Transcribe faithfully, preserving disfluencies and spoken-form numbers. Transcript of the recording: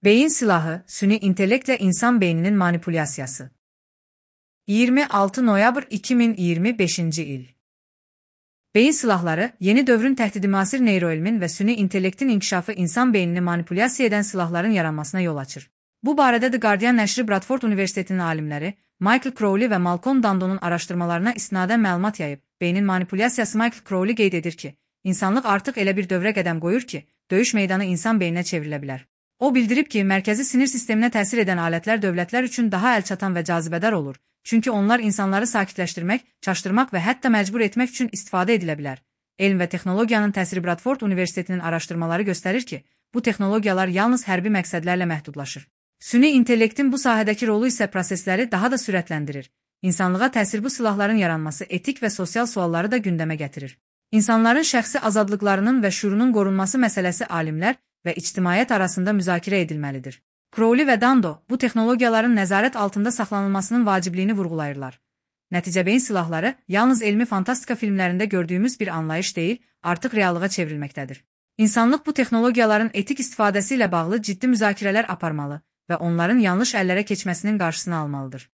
Beyin silahı, süni intellektlə insan beyninin manipulyasiyası. iyirmi altı noyabr iki min iyirmi beşinci il. Beyin silahları, yeni dövrün təhdidi müasir neyroelmin və süni intellektin inkişafı insan beynini manipulyasiya edən silahların yaranmasına yol açır. Bu barədə The Guardian nəşri Bradford Universitetinin alimləri Michael Crowley və Malcolm Dandonun araşdırmalarına istinadən məlumat yayıb. Beynin manipulyasiyası Michael Crowley qeyd edir ki, insanlıq artıq elə bir dövrə qədəm qoyur ki, döyüş meydanı insan beyninə çevrilə bilər. O bildirib ki, mərkəzi sinir sisteminə təsir edən alətlər dövlətlər üçün daha əlçatan və cazibədar olur, çünki onlar insanları sakitləşdirmək, çaşdırmaq və hətta məcbur etmək üçün istifadə edilə bilər. Elm və texnologiyanın təsiri Bradford Universitetinin araşdırmaları göstərir ki, bu texnologiyalar yalnız hərbi məqsədlərlə məhdudlaşır. Süni intellektin bu sahədəki rolu isə prosesləri daha da sürətləndirir. İnsanlığa təsir bu silahların yaranması etik və sosial sualları da gündəmə gətirir. İnsanların şəxsi azadlıqlarının və şuurunun qorunması məsələsi alimlər və ictimaiyyət arasında müzakirə edilməlidir. Crowley və Dando bu texnologiyaların nəzarət altında saxlanılmasının vacibliyini vurğulayırlar. Nəticə beyin silahları yalnız elmi fantastika filmlərində gördüyümüz bir anlayış deyil, artıq reallığa çevrilməkdədir. İnsanlıq bu texnologiyaların etik istifadəsi ilə bağlı ciddi müzakirələr aparmalı və onların yanlış əllərə keçməsinin qarşısını almalıdır.